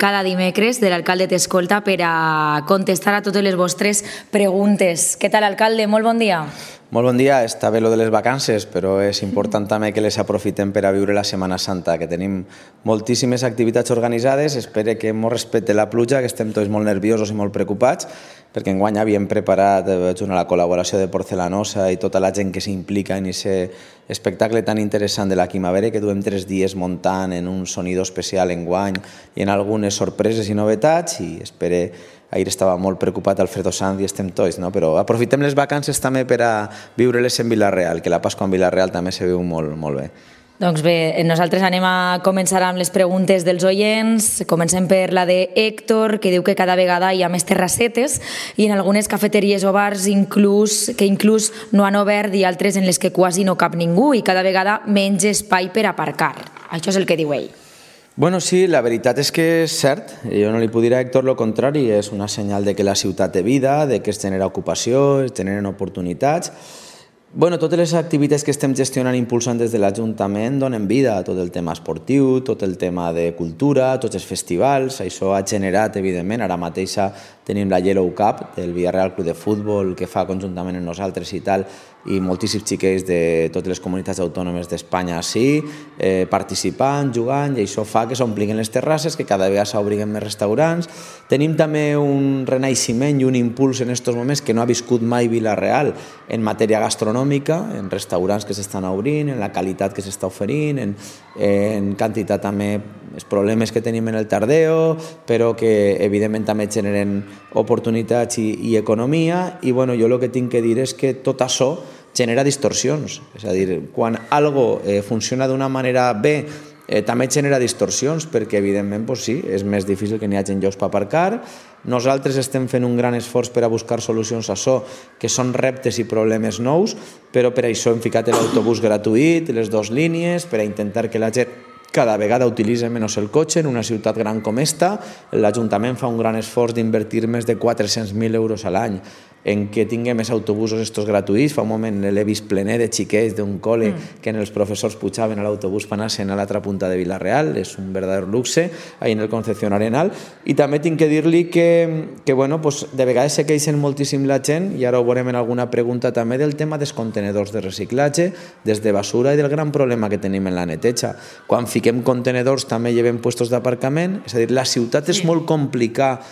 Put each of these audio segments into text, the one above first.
cada dimecres de l'alcalde t'escolta per a contestar a totes les vostres preguntes. Què tal, alcalde? Molt bon dia. Molt bon dia. Està bé lo de les vacances, però és important també que les aprofitem per a viure la Setmana Santa, que tenim moltíssimes activitats organitzades. Espero que ens respecte la pluja, que estem tots molt nerviosos i molt preocupats, perquè enguany havíem preparat junt a la col·laboració de Porcelanosa i tota la gent que s'implica en aquest espectacle tan interessant de la Quimavera, que duem 3 dies muntant en un sonido especial enguany i en algunes sorpreses i novetats, i espero. Ahir estava molt preocupat Alfredo Sanz i estem tots, no? Però aprofitem les vacances també per a viure-les en Vila-real, que la Pasqua en Vila-real també se viu molt, molt bé. Doncs bé, nosaltres anem a començar amb les preguntes dels oients. Comencem per la de Héctor, que diu que cada vegada hi ha més terrassetes i en algunes cafeteries o bars que inclús no han obert i altres en les que quasi no cap ningú i cada vegada menys espai per aparcar. Això és el que diu ell. Bueno, sí, la veritat és que és cert. Jo no li puc dir a Héctor lo contrari. És una senyal de que la ciutat té vida, de que es genera ocupació, es generen oportunitats. Bueno, totes les activitats que estem gestionant i impulsant des de l'Ajuntament donen vida a tot el tema esportiu, tot el tema de cultura, tots els festivals. Això ha generat, evidentment, ara mateix tenim la Yellow Cup del Villarreal Club de Futbol que fa conjuntament amb nosaltres i tal, i moltíssims xiquets de totes les comunitats autònomes d'Espanya així, participant, jugant, i això fa que s'ompliguin les terrasses, que cada vegada s'obriguen més restaurants. Tenim també un renaixement i un impuls en aquests moments que no ha viscut mai Vila-real en matèria gastronòmica, en restaurants que s'estan obrint, en la qualitat que s'està oferint, en quantitat també els problemes que tenim en el tardeo, però que evidentment també generen oportunitats i economia. I bueno, jo el que tinc que dir és que tot això genera distorsions. És a dir, quan algo funciona d'una manera bé, també genera distorsions, perquè evidentment sí, és més difícil que n'hi hagi llocs per aparcar. Nosaltres estem fent un gran esforç per a buscar solucions a això, que són reptes i problemes nous, però per això hem ficat l'autobús gratuït, les 2 línies, per a intentar que la gent cada vegada utilitza menys el cotxe en una ciutat gran com esta. L'Ajuntament fa un gran esforç d'invertir més de 400.000 euros a l'any en que tinguem més autobusos estos gratuïts. Fa un moment l'he vist plener de xiquets d'un col·le que els professors pujaven a l'autobús per anar-se'n a l'altra punta de Vila-real. És un verdader luxe ahí en el Concepción Arenal. I també tinc que dir-li que bueno, de vegades se queixen moltíssim la gent, i ara ho veurem en alguna pregunta també, del tema dels contenedors de reciclatge, des de basura, i del gran problema que tenim en la neteja. Quan fiquem contenedors també llevem puestos d'aparcament, és a dir, la ciutat és molt complicat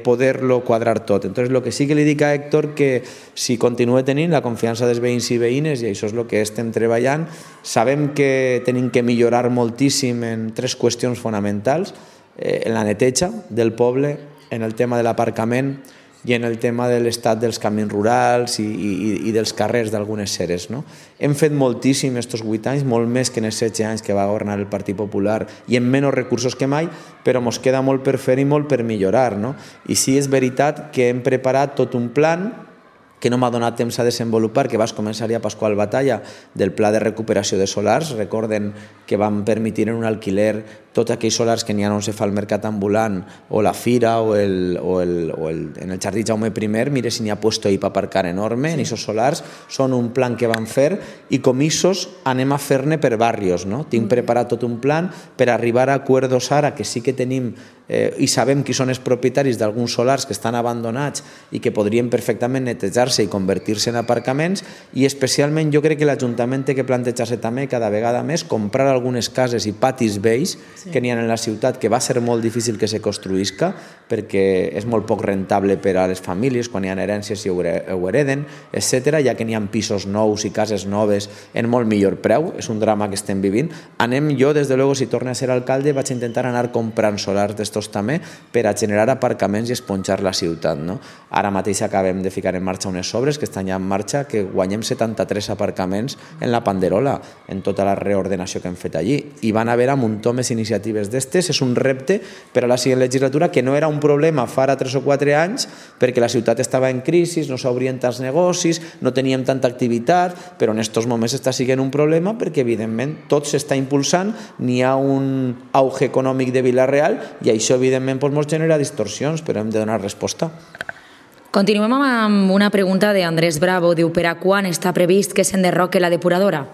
poder-lo quadrar tot. Entonces, lo que sí que li dic a Héctor, que si continua tenint la confiança dels veïns i veïnes, i això és el que estem treballant, sabem que tenim que millorar moltíssim en 3 qüestions fonamentals: en la neteja del poble, en el tema de l'aparcament i en el tema de l'estat dels camins rurals i dels carrers d'algunes ceres. Hem fet moltíssim aquests 8 anys, molt més que en els 16 anys que va governar el Partit Popular, i amb menys recursos que mai, però ens queda molt per fer i molt per millorar. I sí, és veritat que hem preparat tot un plan que no m'ha donat temps a desenvolupar, que vas començar ja Pasqual Batalla, del pla de recuperació de solars. Recorden que vam permetre en un alquiler tots aquells solars que n'hi ha on se fa el mercat ambulant, o la fira, o en el jardí Jaume I, mire si n'hi ha puesto ahí per aparcar enorme, en aquests solars. Són un plan que vam fer, i com ixos anem a fer-ne per barrios. Tinc preparat tot un plan per arribar a acuerdos ara, que sí que tenim i sabem qui són els propietaris d'alguns solars que estan abandonats i que podrien perfectament netejar-se i convertir-se en aparcaments. I especialment jo crec que l'Ajuntament té que plantejar-se també cada vegada més comprar algunes cases i patis vells que n'hi ha en la ciutat, que va ser molt difícil que se construïsca, perquè és molt poc rentable per a les famílies quan hi ha herències i ho hereden, etc. Ja que n'hi ha pisos nous i cases noves en molt millor preu. És un drama que estem vivint. Jo, des de luego, si torne a ser alcalde, vaig a intentar anar comprant solars d'estos també per a generar aparcaments i esponjar la ciutat. Ara mateix acabem de ficar en marxa unes obres que estan ja en marxa, que guanyem 73 aparcaments en la Panderola, en tota la reordenació que hem fet allí. I van haver un muntó més iniciatives d'estes. És un repte per a la següent legislatura, que no era un problema fa 3 o 4 anys, perquè la ciutat estava en crisi, no s'obrien tants negocis, no teníem tanta activitat, però en aquests moments està sent un problema perquè, evidentment, tot s'està impulsant, n'hi ha un auge econòmic de Vila-real, i això, evidentment, ens genera distorsions, però hem de donar resposta. Continuem amb una pregunta d'Andrés Bravo. Diu, per a quan està previst que s'enderroque la depuradora?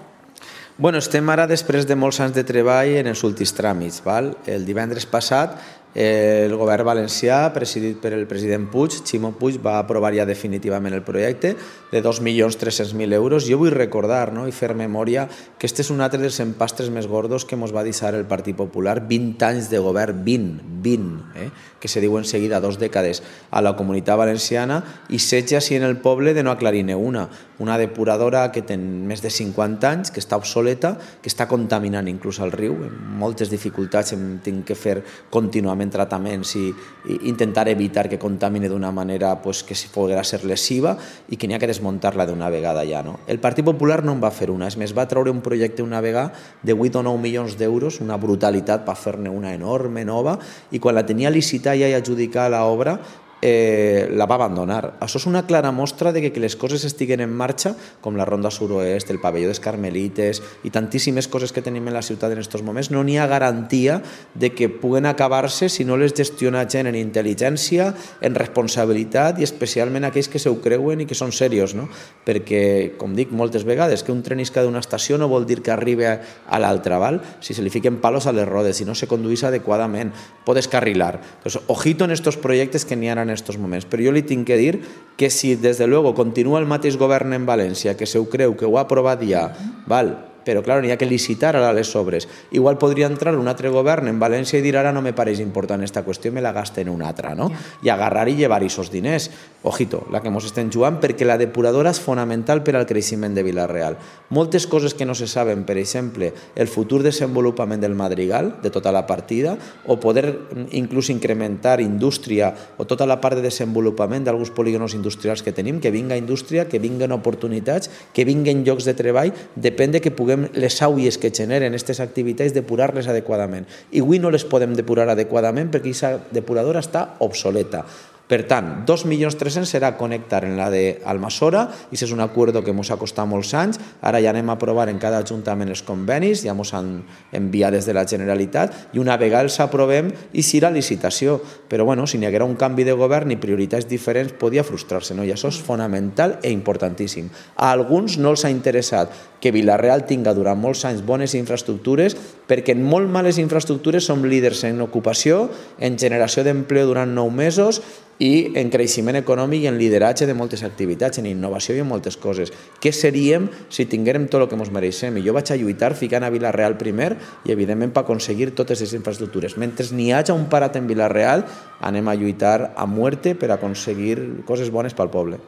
Estem ara després de molts anys de treball en els últims tràmits. El divendres passat El govern valencià, presidit per el president Puig, Ximo Puig, va aprovar ja definitivament el projecte de 2.300.000 euros. Jo vull recordar, no?, i fer memòria que este és un altre dels empastres més gordos que ens va deixar el Partit Popular. 20 anys de govern, 20, que se diuen seguida 2 dècades a la Comunitat Valenciana, i 16 així en el poble de no aclarir-ne una depuradora que té més de 50 anys, que està obsoleta, que està contaminant inclús el riu, amb moltes dificultats, hem tingut que fer contínuament tractaments i intentar evitar que contamine d'una manera que poguera ser lesiva i que n'hi ha que desmuntar-la d'una vegada ja. El Partit Popular no en va fer una, és més, va treure un projecte una vegada de 8 o 9 milions d'euros, una brutalitat per fer-ne una enorme, nova, i quan la tenia licitar ja i adjudicar l'obra, la va abandonar. Això és una clara mostra de que les coses estiguen en marxa, com la Ronda Suroest, el pavelló dels Carmelites i tantíssimes coses que tenim en la ciutat en aquests moments. No n'hi ha garantia de que puguen acabar-se si no les gestiona gent en intel·ligència, en responsabilitat, i especialment aquells que se ho creuen i que són serios, no? Perquè, com dic moltes vegades, que un tren isca d'una estació no vol dir que arribi a l'altra, val? Si se li fiquen palos a les rodes, si no se conduís adequadament, pot descarrilar. Pues, ojito en estos proyectos que n'hi ha en estos moments, però jo li tinc que dir que si des de luego continua el mateix govern en València, que se ho creu, que ho ha aprovat ja, val? Però clar, n'hi ha que licitar ara les obres. Igual podria entrar un altre govern en València i dir ara no me pareix important esta qüestió, me la gaste en una altra, no? I agarrar i llevar aquests diners. Ojito, la que ens estem jugant, perquè la depuradora és fonamental per al creixement de Vila-real. Moltes coses que no se saben, per exemple, el futur desenvolupament del Madrigal, de tota la partida, o poder inclús incrementar indústria o tota la part de desenvolupament d'alguns polígonos industrials que tenim, que vinga indústria, que vinguen oportunitats, que vinguen llocs de treball, depèn de que puguem les aulles que generen aquestes activitats depurar-les adequadament. I avui no les podem depurar adequadament perquè aquesta depuradora està obsoleta. Per tant, 2.300.000 serà connectar en la d'Almassora, i això és un acord que ens ha costat molts anys. Ara ja anem a aprovar en cada ajuntament els convenis, ja ens han enviat des de la Generalitat, i una vegada els aprovem i serà licitació. Però bueno, si n'hi haguera un canvi de govern i prioritats diferents, podia frustrar-se, no? I això és fonamental i importantíssim. A alguns no els ha interessat que Vila-real tinga durant molts anys bones infraestructures, perquè en molt males infraestructures som líders en ocupació, en generació d'empleo durant 9 mesos, i en creixement econòmic i en lideratge de moltes activitats, en innovació i en moltes coses. Què seríem si tinguérem tot el que ens mereixem? I jo vaig a lluitar ficant a Vila-real primer i, evidentment, per aconseguir totes les infraestructures. Mentre n'hi hagi un parat en Vila-real, anem a lluitar a muerte per aconseguir coses bones pel poble.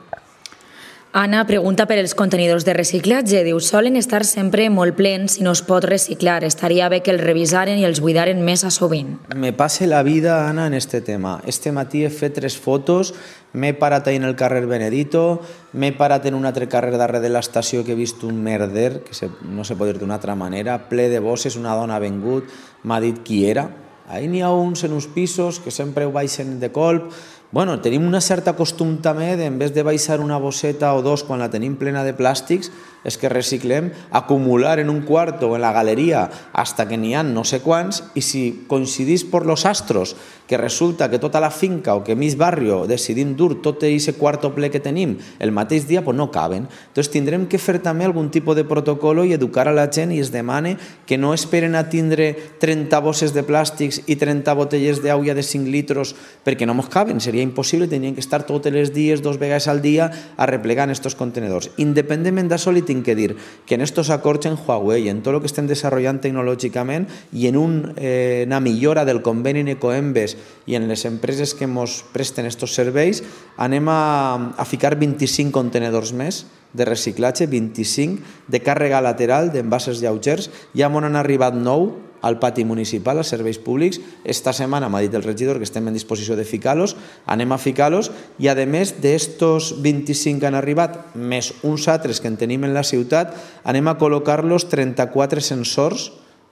Anna pregunta per els contenidors de reciclatge. Diu, solen estar sempre molt plens i no es pot reciclar. Estaria bé que els revisaren i els buidaren més a sovint. Me passa la vida, Anna, en este tema. Este matí he fet 3 fotos, m'he parat ahí en el carrer Benedito, m'he parat en un altre carrer darrere de l'estació que he vist un merder, que no se pot dir d'una altra manera, ple de bosses, una dona ha vengut, m'ha dit qui era. Ahí n'hi ha uns en uns pisos que sempre ho baixen de colp. Bueno, tenim una certa costum també de, en vez de baixar una bosseta o 2 quan la tenim plena de plàstics, és que reciclem, acumular en un quarto o en la galeria hasta que n'hi ha no sé quants, i si coincidís por los astros que resulta que tota la finca o que mig barrio decidim dur tot aquest quarto ple que tenim el mateix dia, pues no caben. Entonces tindrem que fer també algun tipus de protocolo i educar a la gent, i es demane que no esperen a tindre 30 bosses de plàstics i 30 botelles d'aigua de 5 litros perquè no ens caben, seria impossible, tenien que estar tots els dies, 2 vegades al dia, arreplegant estos contenedors. Independentment d'això, li tinc que dir que en estos acords en Huawei, en tot el que estem desenvolupant tecnològicament i en una millora del conveni en Ecoembes i en les empreses que ens presten estos serveis, anem a ficar 25 contenedors més de reciclatge, 25 de càrrega lateral d'envasos lleugers. Ja m'on han arribat 9 al pati municipal, als serveis públics. Esta setmana m'ha dit el regidor que estem en disposició de ficar-los, anem a ficar-los, i a més d'estos 25 que han arribat, més uns altres que en tenim en la ciutat, anem a col·locar-los 34 sensors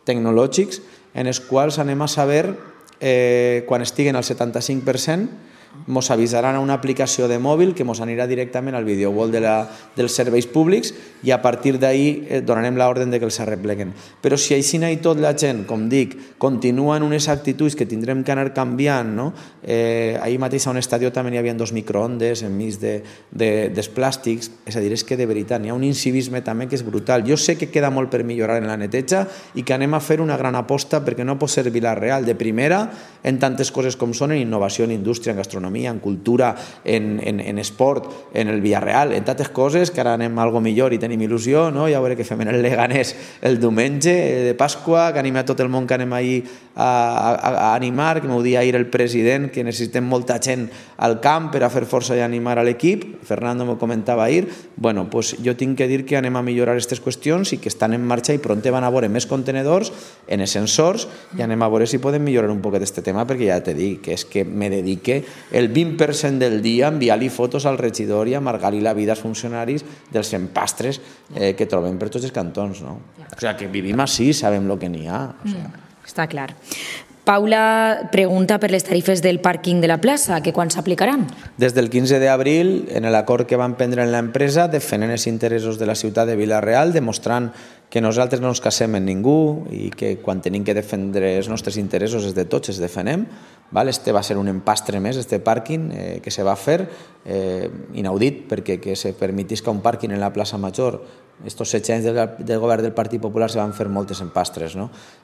tecnològics en els quals anem a saber, quan estiguen al 75%, ens avisaran a una aplicació de mòbil que ens anirà directament al video wall dels serveis públics i a partir d'ahir donarem l'ordre que els arrepleguen. Però si així i tot la gent, com dic, continua en unes actituds que tindrem que anar canviant, no? Ahir mateix a un estadi també hi havia 2 microondes enmig dels plàstics, és a dir, és que de veritat hi ha un incivisme també que és brutal. Jo sé que queda molt per millorar en la neteja i que anem a fer una gran aposta perquè no pot ser Vila-real de primera en tantes coses com són en innovació, en indústria, en gastronomia, en cultura, en esport, en el Villarreal, en tantes coses que ara anem a algo millor i tenim il·lusió, no? Ja veure què fem en el Leganés el diumenge de Pasqua, que anima a tot el món que anem ahir a animar, que m'ho dia ahir el president, que necessitem molta gent al camp per a fer força i animar a l'equip. Fernando m'ho comentava ahir. Bueno, pues jo tinc que dir que anem a millorar aquestes qüestions i que estan en marxa i pront van a veure més contenedors en ascensors i anem a veure si podem millorar un poquet aquest tema, perquè ja t'he dit que és que me dedique el 20% del dia a enviar-li fotos al regidor i a amargar-li la vida als funcionaris dels empastres que trobem per tots els cantons, no? O sigui, que vivim així, sabem el que n'hi ha. Està clar. Paula pregunta per les tarifes del pàrquing de la plaça, que quan s'aplicaran? Des del 15 d'abril, en l'acord que van prendre en l'empresa, defendent els interessos de la ciutat de Vila-real, demostrant que nosaltres no ens casem amb ningú i que quan tenim que defendre els nostres interessos és de tots, els defenem. Este va ser un empastre més, este pàrquing que se va fer, inaudit, perquè que se permetisca un pàrquing en la plaça Major. Estos 7 anys del govern del Partit Popular se van fer moltes empastres.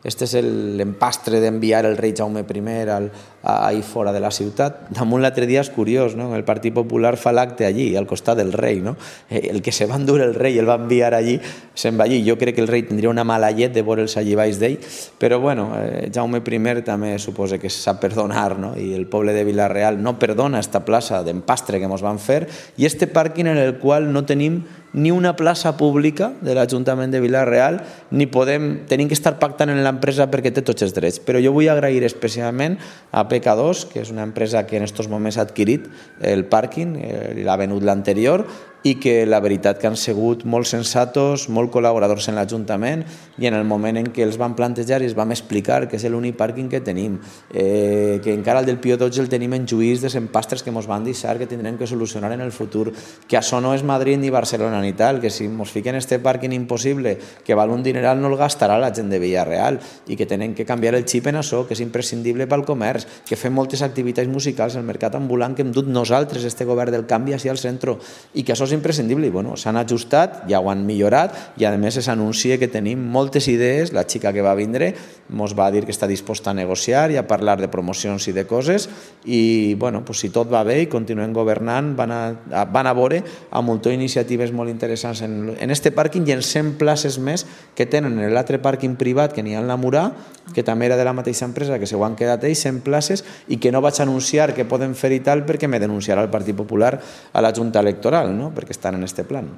Este és l'empastre d'enviar el rei Jaume I ahir fora de la ciutat. Damunt l'altre dia és curiós, el Partit Popular fa l'acte allí, al costat del rei. El que se va endur el rei i el va enviar allí, se'n va allí. Jo crec que el rei tindria una mala llet de veure'ls allí baix d'ell, però bueno, Jaume I també suposa que sap perdonar, i el poble de Vila-real no perdona esta plaça d'empastre que ens van fer i este pàrquing en el qual no tenim ni una plaça pública de l'Ajuntament de Vila-real, ni tenim que estar pactant en l'empresa perquè té tots els drets. Però jo vull agrair especialment a PK2, que és una empresa que en aquests moments ha adquirit el pàrquing, l'ha venut l'anterior, i que la veritat que han sigut molt sensatos, molt col·laboradors en l'Ajuntament i en el moment en què els van plantejar i els vam explicar que és l'únic pàrquing que tenim, que encara el del Pío XII el tenim en juís de empastres que ens van deixar, que tindrem que solucionar en el futur, que això no és Madrid ni Barcelona ni tal, que si ens fiquen este pàrquing impossible, que val un dineral, no el gastarà la gent de Villarreal i que tenen que canviar el xip en això, que és imprescindible pel comerç, que fem moltes activitats musicals al mercat ambulant que hem dut nosaltres, este govern del canvi, així al centre, i que això és imprescindible. I bueno, s'han ajustat, ja ho han millorat i a més s'anuncia que tenim moltes idees. La xica que va vindre ens va dir que està disposta a negociar i a parlar de promocions i de coses i bueno, si tot va bé i continuem governant van a veure a muntó iniciatives molt interessants en este pàrquing i en 100 places més que tenen en l'altre pàrquing privat que n'hi ha en la Murà, que també era de la mateixa empresa, que se ho han quedat ells, 100 places, i que no vaig anunciar que poden fer i tal perquè me denunciarà el Partit Popular a la Junta Electoral, perquè estan en este plan.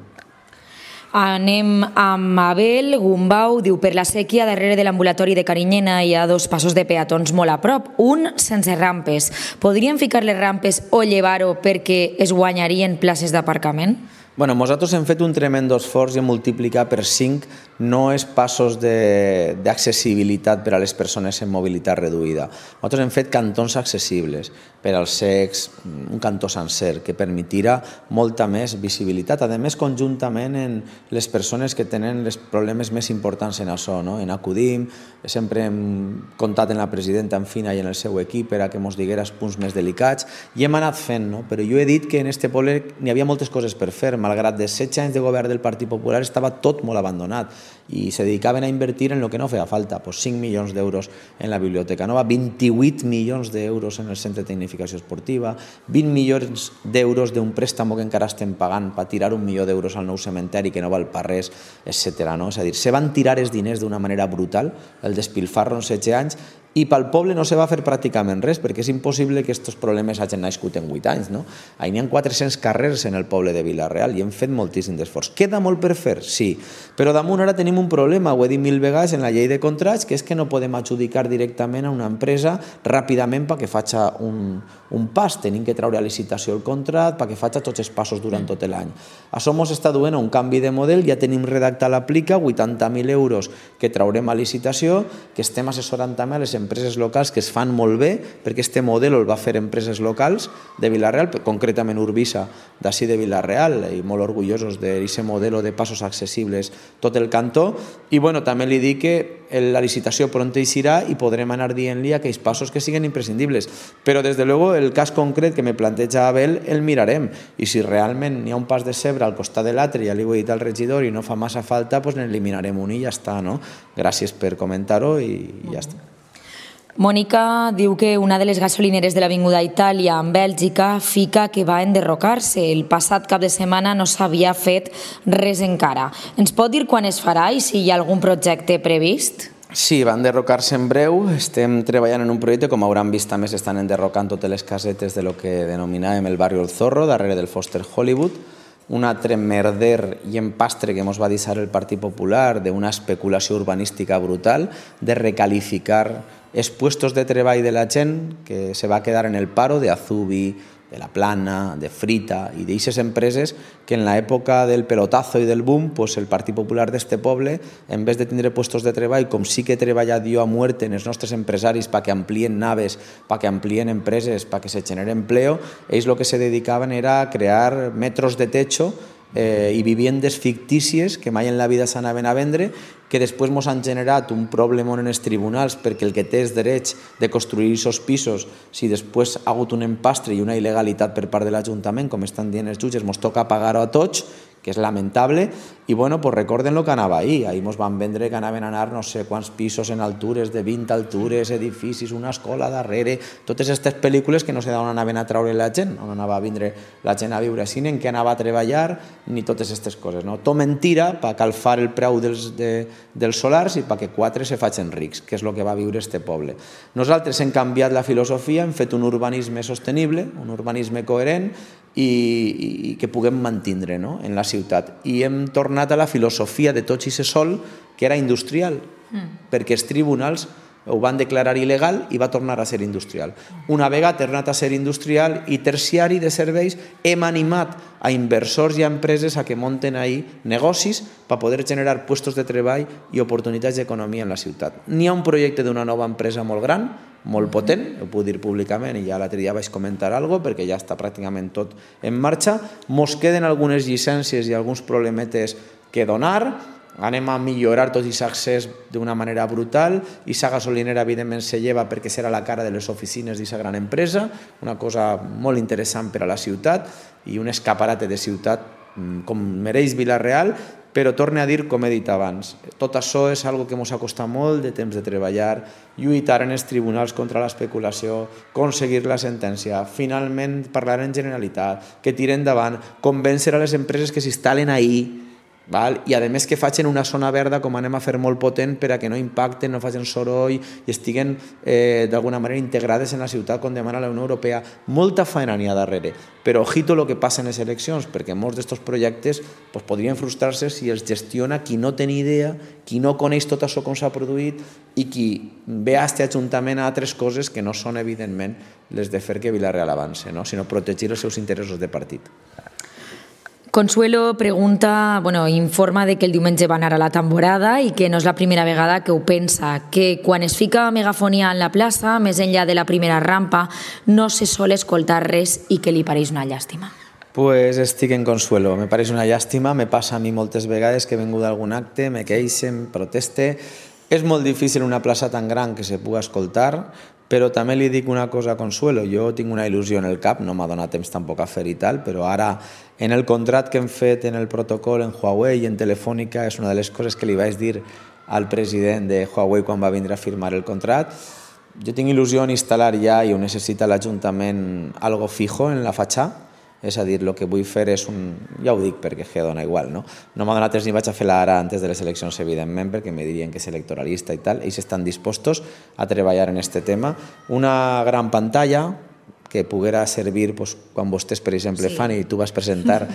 Anem amb Abel Gumbau, diu: per la sèquia darrere de l'ambulatori de Carinyena hi ha 2 passos de peatons molt a prop, un sense rampes. Podrien ficar les rampes o llevar-ho perquè es guanyarien places d'aparcament? Bueno, nosaltres hem fet un tremendo esforç i hem multiplicat per 5 no és passos d'accessibilitat per a les persones amb mobilitat reduïda. Nosaltres hem fet cantons accessibles per als cecs, un cantó sencer, que permetirà molta més visibilitat. A més, conjuntament en les persones que tenen els problemes més importants en això, en Acudim, sempre hem comptat en la presidenta, en Fina, i en el seu equip per a que ens digués punts més delicats, i hem anat fent, però jo he dit que en este poble n'hi havia moltes coses per fer, malgrat de 16 anys de govern del Partit Popular estava tot molt abandonat i se dedicaven a invertir en el que no feia falta, 5 milions d'euros en la Biblioteca Nova, 28 milions d'euros en el Centre de Tecnificació Esportiva, 20 milions d'euros d'un préstamo que encara estem pagant per tirar 1 milió d'euros al nou cementeri que no val per res, etc. És a dir, se van tirar els diners d'una manera brutal, el despilfarro en 16 anys, i pel poble no se va fer pràcticament res, perquè és impossible que aquests problemes hagin nascut en 8 anys. Ahir n'hi ha 400 carrers en el poble de Vila-real, i hem fet moltíssim d'esforç. Queda molt per fer? Sí, però damunt ara tenim un problema, ho he dit 1000 vegades en la llei de contrats, que és que no podem adjudicar directament a una empresa ràpidament perquè faci un pas, tenim que treure a licitació el contracte perquè faci tots els passos durant tot l'any. Això ens està duent a un canvi de model, ja tenim redactat l'aplica, 80.000 euros que traurem a licitació, que estem assessorant també a les empreses locals que es fan molt bé, perquè este model el va fer empreses locals de Vila-real, concretament Urbisa, d'ací de Vila-real, i molt orgullosos d'aquest model de passos accessibles tot el cantó, i bueno, també li dic que la licitació pront eixirà i podrem anar dient-li aquells passos que siguin imprescindibles, però des de luego el cas concret que me planteja Abel el mirarem, i si realment hi ha un pas de cebre al costat de l'altre, ja li ho he dit al regidor i no fa massa falta, doncs n'eliminarem un i ja està, no? Gràcies per comentar-ho i ja està. Mònica diu que una de les gasolineres de l'Avinguda Itàlia en Bèlgica fica que va enderrocar-se. El passat cap de setmana no s'havia fet res encara. Ens pot dir quan es farà i si hi ha algun projecte previst? Sí, va enderrocar-se en breu. Estem treballant en un projecte, com hauran vist també s'estan enderrocant totes les casetes de lo que denominàvem el barri El Zorro, darrere del Foster Hollywood. Un altre merder i empastre que ens va deixar el Partit Popular d'una especulació urbanística brutal, de recalificar els puestos de treball de la gent que se va quedar en el paro de Azubi, de La Plana, de Frita i d'aquestes empreses que en l'època del pelotazo i del boom el Partit Popular d'este poble, en vez de tindre puestos de treball, com sí que he treballat jo a muerte en els nostres empresaris perquè amplien naves, perquè amplien empreses, perquè se genere empleo, ells el que se dedicaven era a crear metros de techo i viviendes fictícies que mai en la vida s'anaven a vendre, que després ens han generat un problema en els tribunals perquè el que té els drets de construir aquests pisos, si després ha hagut un empastre i una il·legalitat per part de l'Ajuntament, com estan dient els jutges, ens toca pagar-ho a tots, que és lamentable, i bueno, pues recorden el que anava ahir. Ahir ens van vendre que anaven a anar no sé quants pisos en altures, de 20 altures, edificis, una escola darrere, totes aquestes pel·lícules que no sé d'on anaven a treure la gent, on anava a vindre la gent a viure així, en què anava a treballar, ni totes aquestes coses. No? Tot mentira per calfar el preu dels solars i perquè 4 se facin rics, que és el que va viure este poble. Nosaltres hem canviat la filosofia, hem fet un urbanisme sostenible, un urbanisme coherent, i que puguem mantindre en la ciutat. I hem tornat a la filosofia de tots i se sol, que era industrial, perquè els tribunals ho van declarar il·legal i va tornar a ser industrial. Una vegada ha tornat a ser industrial i terciari de serveis, hem animat a inversors i a empreses a que munten ahí negocis per poder generar puestos de treball i oportunitats d'economia en la ciutat. N'hi ha un projecte d'una nova empresa molt gran, molt potent, ho puc dir públicament i ja l'altre dia vaig comentar alguna cosa perquè ja està pràcticament tot en marxa. Mos queden algunes llicències i alguns problemetes que donar, anem a millorar tot aquest accés d'una manera brutal i la gasolinera evidentment se lleva perquè serà la cara de les oficines d'aquesta gran empresa, una cosa molt interessant per a la ciutat i un escaparate de ciutat com mereix Vila-real, però torne a dir, com he dit abans, tot això és algo que ens ha costat molt de temps de treballar, lluitar en els tribunals contra l'especulació, aconseguir la sentència, finalment parlar en Generalitat, que tiren endavant, convèncer a les empreses que s'instal·len ahí, i a més que facin una zona verda com anem a fer molt potent per a que no impacten, no facin soroll i estiguen d'alguna manera integrades en la ciutat com demana la Unió Europea. Molta feina n'hi ha darrere, però ojito el que passa en les eleccions, perquè molts d'aquests projectes podrien frustrar-se si els gestiona qui no té ni idea, qui no coneix tot això com s'ha produït i qui ve a aquest Ajuntament a altres coses que no són evidentment les de fer que Vila-real avance, sinó protegir els seus interessos de partit. Consuelo pregunta, informa de que el diumenge va anar a la Tamborada i que no és la primera vegada que ho pensa, que quan es fica megafonia en la plaça, més enllà de la primera rampa, no se sol escoltar res i que li pareix una llàstima. Pues estic en Consuelo, me pareix una llàstima, me passa a mi moltes vegades que he vengut d'algun acte, me queixe, em proteste. És molt difícil una plaça tan gran que se pugui escoltar, però també li dic una cosa a Consuelo, jo tinc una il·lusió en el cap, no m'ha donat temps tampoc a fer i tal, però ara en el contrat que hem fet en el protocol en Huawei i en Telefònica és una de les coses que li vaig dir al president de Huawei quan va vindre a firmar el contrat. Jo tinc il·lusió en instal·lar ja i ho necessita l'Ajuntament algo fijo en la fatxà, és a dir, el que vull fer és ja ho dic perquè dona igual, no m'ha donat temps ni vaig a fer-la ara antes de les eleccions, evidentment, perquè me dirien que és electoralista i tal, ells estan dispostos a treballar en aquest tema. Una gran pantalla que poguera servir quan vostès, per exemple, fan i tu vas presentar,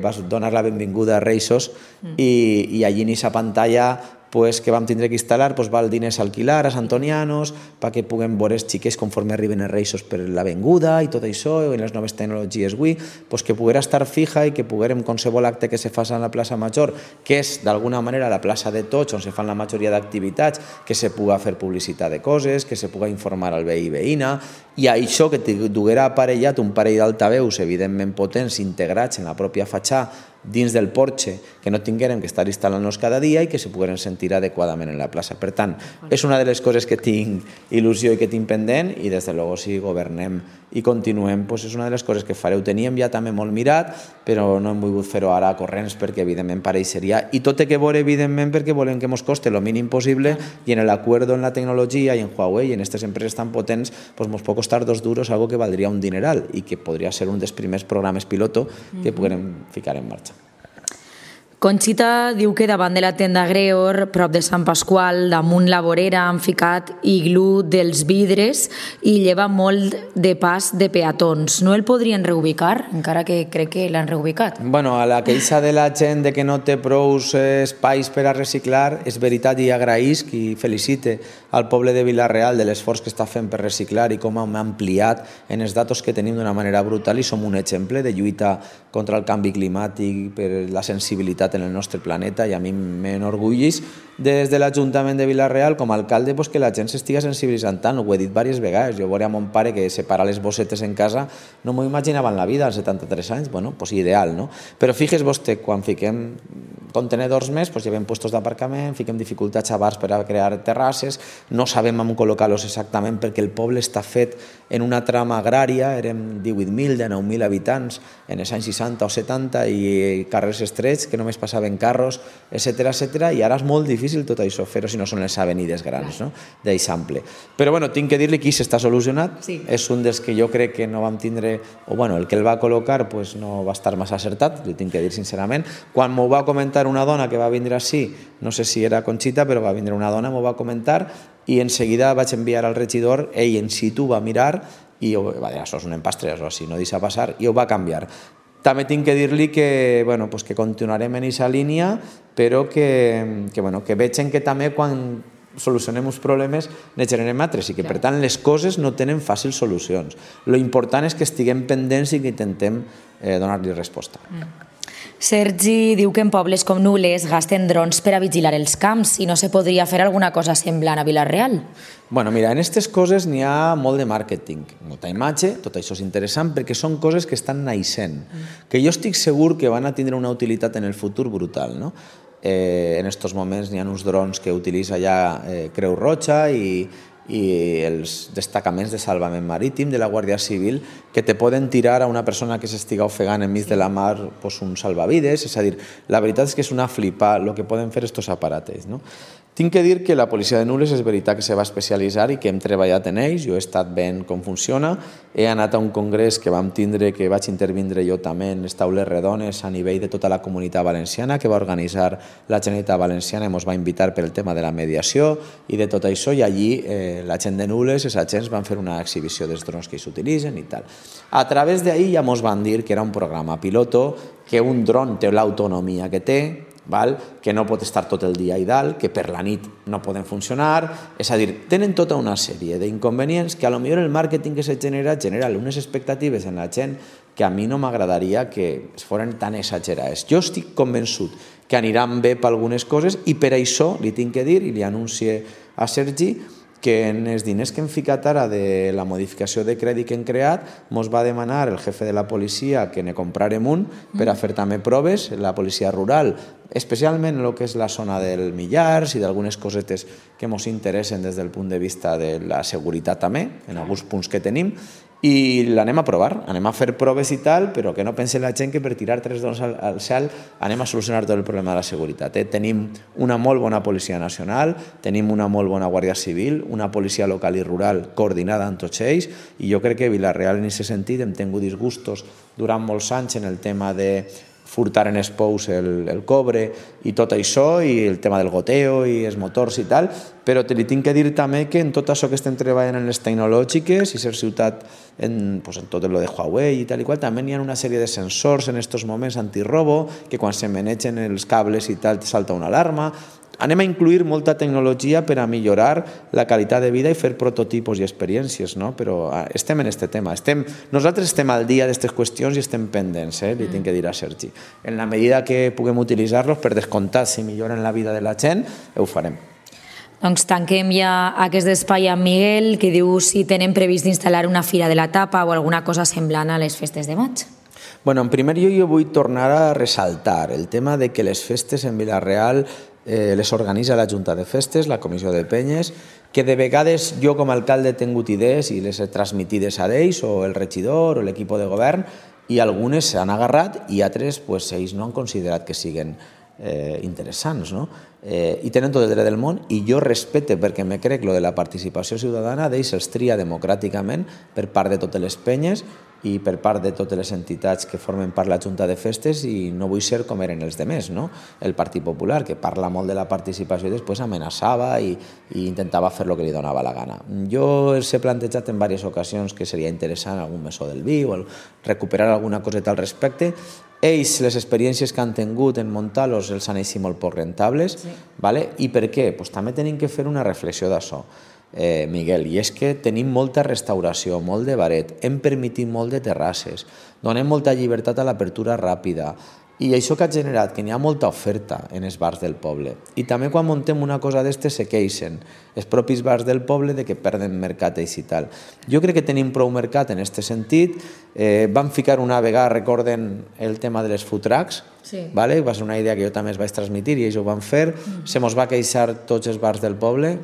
vas donar la benvinguda a Reisos i allí en aquesta pantalla que vam tindre que instal·lar val diners a alquilar a Santonianos perquè puguem veure els xiquets conforme arriben els Reisos per l'avinguda i tot això, i les noves tecnologies avui, que poguera estar fija i que poguérem qualsevol acte que se faci a la plaça Major, que és d'alguna manera la plaça de tots on se fan la majoria d'activitats, que se puga fer publicitat de coses, que se puga informar al veí i veïna, i això que duguera aparellat un parell d'altaveus evidentment potents integrats en la pròpia fatxada dins del porxe, que no tinguérem que estar instal·lant-nos cada dia i que se pogueren sentir adequadament en la plaça. Per tant, és una de les coses que tinc il·lusió i que tinc pendent, i des de luego si governem i continuem, és una de les coses que fareu. Teníem ja també molt mirat, però no hem volgut fer-ho ara a corrents perquè evidentment pareixeria, i tot té que veure evidentment perquè volem que ens coste el mínim possible, i en l'acord en la tecnologia i en Huawei i en aquestes empreses tan potents ens pot costar 2 duros, algo que valdria un dineral i que podria ser un dels primers programes piloto que puguem ficar en marxa. Conxita diu que davant de la tenda Greor, prop de Sant Pasqual, damunt la vorera, han ficat iglú dels vidres i lleva molt de pas de peatons. No el podrien reubicar, encara que crec que l'han reubicat? Bueno, a la queixa de la gent de que no té prou espais per a reciclar, és veritat, i agraïsc i felicite al poble de Vila-real de l'esforç que està fent per reciclar i com hem ampliat en els datos que tenim d'una manera brutal, i som un exemple de lluita contra el canvi climàtic, per la sensibilitat en el nostre planeta, i a mi m'enorgullis des de l'Ajuntament de Vila-real com a alcalde que la gent s'estiga sensibilitzant tant. Ho he dit diverses vegades. Jo veuré a mon pare que separar les bossetes en casa no m'ho imaginava en la vida als 73 anys. Bueno, ideal, no? Però fixes vostè, quan fiquem contenedors més, llevem puestos d'aparcament, fiquem dificultats a bars per a crear terrasses, no sabem on col·locar-los exactament perquè el poble està fet en una trama agrària, érem 18.000, 19.000 habitants en els anys 60 o 70 i carrers estrets que només passaven carros, etc. i ara és molt difícil tot això fer-ho si no són les avenides grans d'eixample. Però tinc que dir-li que s'està solucionat, és un dels que jo crec que no vam tindre, o el que el va col·locar no va estar massa acertat, li tinc que dir sincerament. Quan m'ho va comentar una dona que va vindre així, no sé si era Conxita, però va vindre una dona, m'ho va comentar, i en seguida vaig enviar al regidor, ell en situ va mirar i va dir, això és un empastre, això sí, no deixa passar, i ho va canviar. També tinc que dir-li que continuarem en aquesta línia, però que vegin que també quan solucionem uns problemes ne generem altres, i que per tant les coses no tenen fàcils solucions. Lo important és que estiguem pendents i que intentem donar-li resposta. Sergi diu que en pobles com Nules gasten drons per a vigilar els camps i no se podria fer alguna cosa semblant a Vila-real. Mira, en aquestes coses n'hi ha molt de màrqueting, molta imatge, tot això és interessant perquè són coses que estan naixent, que jo estic segur que van a tindre una utilitat en el futur brutal, no? En aquests moments n'hi ha uns drons que utilitza ja Creu Roja i els destacaments de salvament marítim de la Guàrdia Civil que te poden tirar a una persona que s'estiga ofegant enmig de la mar un salvavides. És a dir, la veritat és que és una flipa el que poden fer aquests aparates, no? Tinc que dir que la policia de Nules és veritat que se va especialitzar i que hem treballat en ells, jo he estat veient com funciona, he anat a un congrés que vam tindre, que vaig intervindre jo també en les taules redones a nivell de tota la comunitat valenciana que va organitzar la Generalitat Valenciana i ens va invitar per el tema de la mediació i de tot això, i allí la gent de Nules, els agents van fer una exhibició dels drons que s'utilitzen i tal. A través d'ahir ja ens van dir que era un programa piloto, que un dron té l'autonomia que té, que no pot estar tot el dia i dalt, que per la nit no poden funcionar, és a dir, tenen tota una sèrie d'inconvenients que a lo millor el màrqueting que se genera unes expectatives en la gent que a mi no m'agradaria que es foren tan exagerades. Jo estic convençut que aniran bé per algunes coses i per això li tinc que dir, i li anuncie a Sergi, que en els diners que hem ficat ara de la modificació de crèdit que hem creat ens va demanar el jefe de la policia que ne comprarem un per a fer també proves, la policia rural, especialment en el que és la zona del Millars i d'algunes cosetes que ens interessen des del punt de vista de la seguretat també, en alguns punts que tenim, i l'anem a provar, anem a fer proves i tal, però que no pense la gent que per tirar 3 drons al cel anem a solucionar tot el problema de la seguretat. Tenim una molt bona policia nacional, tenim una molt bona guàrdia civil, una policia local i rural coordinada amb tots ells, i jo crec que Vila-real en aquest sentit hem tingut disgustos durant molts anys en el tema de furtar en els pous el cobre i tot això, i el tema del goteo i els motors i tal, però te li tinc que dir també que en tot això que estem treballant en les tecnològiques i ser ciutat en tot el de Huawei i tal i qual, també hi ha una sèrie de sensors en aquests moments antirrobo que quan se manegen els cables i tal salta una alarma. Anem a incluir molta tecnologia per a millorar la qualitat de vida i fer prototipos i experiències, no? Però estem en aquest tema. Nosaltres estem al dia d'aquestes qüestions i estem pendents, li tinc que dir a Sergi. En la medida que puguem utilitzar-los, per descomptat, si milloren la vida de la gent, ho farem. Doncs tanquem ja aquest espai amb Miguel, que diu si tenen previst d'instal·lar una fira de la tapa o alguna cosa semblant a les festes de maig. Bueno, en primer lloc jo vull tornar a ressaltar el tema de que les festes en Vila-real les organitza la Junta de Festes, la Comissió de Penyes, que de vegades jo com a alcalde he tingut idees i les he transmitides a ells, o el regidor o l'equip de govern, i algunes s'han agarrat i altres ells no han considerat que siguin interessants, no? I tenen tot el dret del món i jo respecte, perquè me crec lo de la participació ciutadana d'ells els tria democràticament per part de totes les penyes i per part de totes les entitats que formen part de la Junta de Festes, i no vull ser com eren els demés, no? El Partit Popular, que parla molt de la participació i després amenaçava i intentava fer el que li donava la gana. Jo els he plantejat en diverses ocasions que seria interessant algun mesó del vi o recuperar alguna coseta al respecte. Ells, les experiències que han tingut en muntar-los els han eixit molt poc rentables. I per què? També tenim que fer una reflexió d'això, Miguel, i és que tenim molta restauració, molt de baret, hem permitit molt de terrasses, donem molta llibertat a l'apertura ràpida, i això que ha generat que n'hi ha molta oferta en els bars del poble. I també quan muntem una cosa d'estes se queixen els propis bars del poble de que perden mercat i tal. Jo crec que tenim prou mercat en aquest sentit. Vam ficar una vegada, recorden, el tema de les food trucks, va ser una idea que jo també es vaig transmitir i ells ho van fer, se mos va queixar tots els bars del poble,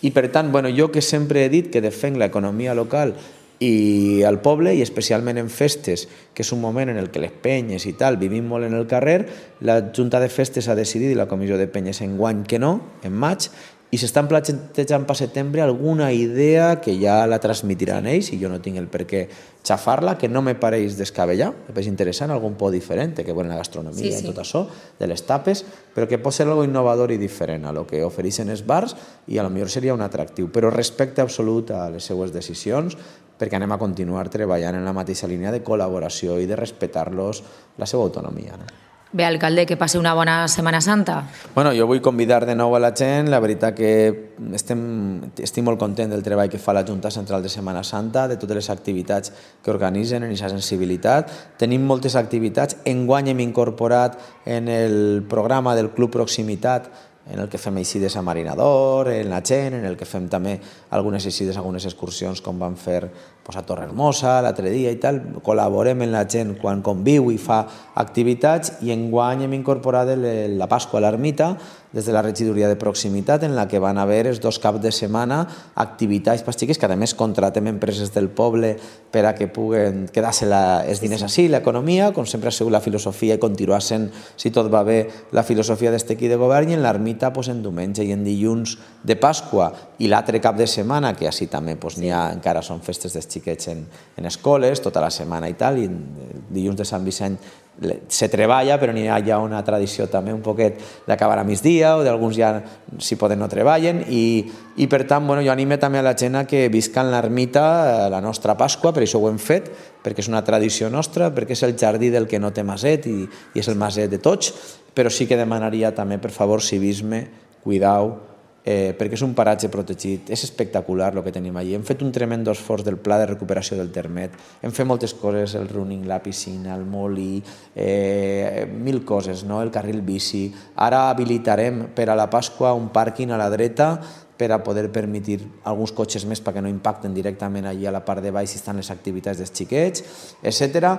i per tant, jo que sempre he dit que defenc l'economia local i al poble, i especialment en festes, que és un moment en el que les penyes i tal vivim molt en el carrer, la Junta de Festes ha decidit, i la Comissió de Penyes enguany que no, en maig, i s'estan plantejant per setembre alguna idea que ja la transmitiran ells, i jo no tinc el per què xafar-la, que no me pareix descabellar, me pareix interessant, algun por diferent, que veure la gastronomia i tot això, de les tapes, però que pot ser algo innovador i diferent a lo que ofereixen els bars, i a lo millor seria un atractiu, però respecte absolut a les seues decisions, perquè anem a continuar treballant en la mateixa línia de col·laboració i de respectar-los la seva autonomia. Bé, alcalde, que passi una bona Setmana Santa. Jo vull convidar de nou a la gent. La veritat que estic molt content del treball que fa la Junta Central de Setmana Santa, de totes les activitats que organitzen en aquesta sensibilitat. Tenim moltes activitats. Enguany hem incorporat en el programa del Club Proximitat, en el que fem eixides a Marinador, en la gent, en el que fem també algunes eixides, algunes excursions, com vam fer a Torrehermosa l'altre dia i tal. Col·laborem amb la gent quan conviu i fa activitats, i enguany hem incorporat la Pasqua a l'Ermita des de la regidoria de proximitat, en la que van haver els 2 caps de setmana activitats per xiques, que a més contratem empreses del poble per a que puguen quedar-se els diners així, l'economia, com sempre ha sigut la filosofia i continuar sent, si tot va bé, la filosofia d'este equip de govern. I en l'Ermita en diumenge i en dilluns de Pasqua i l'altre cap de setmana, que així també n'hi ha, encara són festes dels xiquets en escoles, tota la setmana i tal, i dilluns de Sant Vicent se treballa, però n'hi ha ja una tradició també un poquet d'acabar a migdia, o d'alguns ja, si poden, no treballen, i per tant, jo animo també a la gent a que visca en l'Ermita la nostra Pasqua, per això ho hem fet, perquè és una tradició nostra, perquè és el jardí del que no té maset i és el maset de tots, però sí que demanaria també, per favor, civisme, cuidau, perquè és un paratge protegit, és espectacular el que tenim allà. Hem fet un tremendo esforç del pla de recuperació del Termet, hem fet moltes coses, el running, la piscina, el molí, 1000 coses, el carril bici. Ara habilitarem per a la Pasqua un pàrquing a la dreta per a poder permetre alguns cotxes més perquè no impacten directament allí a la part de baix si estan les activitats dels xiquets, etc.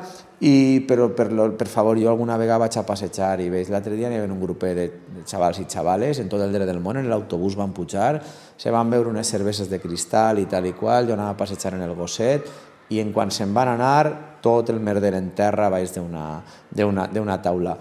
Però, per favor, jo alguna vegada vaig a passejar i veig, l'altre dia hi havia un grupet de xavals i xavales en tot el dret del món, en l'autobús van pujar, se van veure unes cerveses de cristal i tal i qual, jo anava a passejar en el gosset, i en quan se'n van anar, tot el merder en terra baix d'una taula.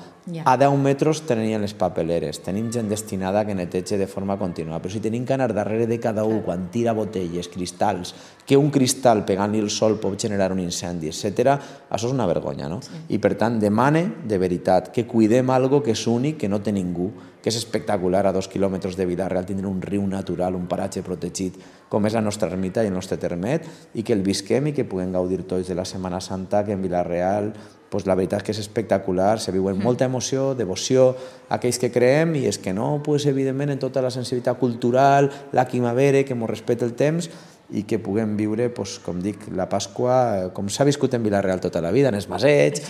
a 10 metres tenien les papeleres, tenim gent destinada que neteja de forma contínua, però si tenim que anar darrere de cada un quan tira botelles, cristalls, que un cristal pegant-li el sol pot generar un incendi, etc., això és una vergonya, no? I per tant demane de veritat que cuidem algo que és únic, que no té ningú, que és espectacular a 2 quilòmetres de Vila-real tindre un riu natural, un paratge protegit com és la nostra ermita i el nostre termet, i que el visquem i que puguem gaudir tots de la Setmana Santa, que en Vila-real la veritat és que és espectacular, se viu amb molta emoció, devoció a aquells que creem, i és que no, evidentment, en tota la sensibilitat cultural, la quimavere, que ens respecta el temps, i que puguem viure, com dic, la Pasqua com s'ha viscut en Vila-real tota la vida, en els masets,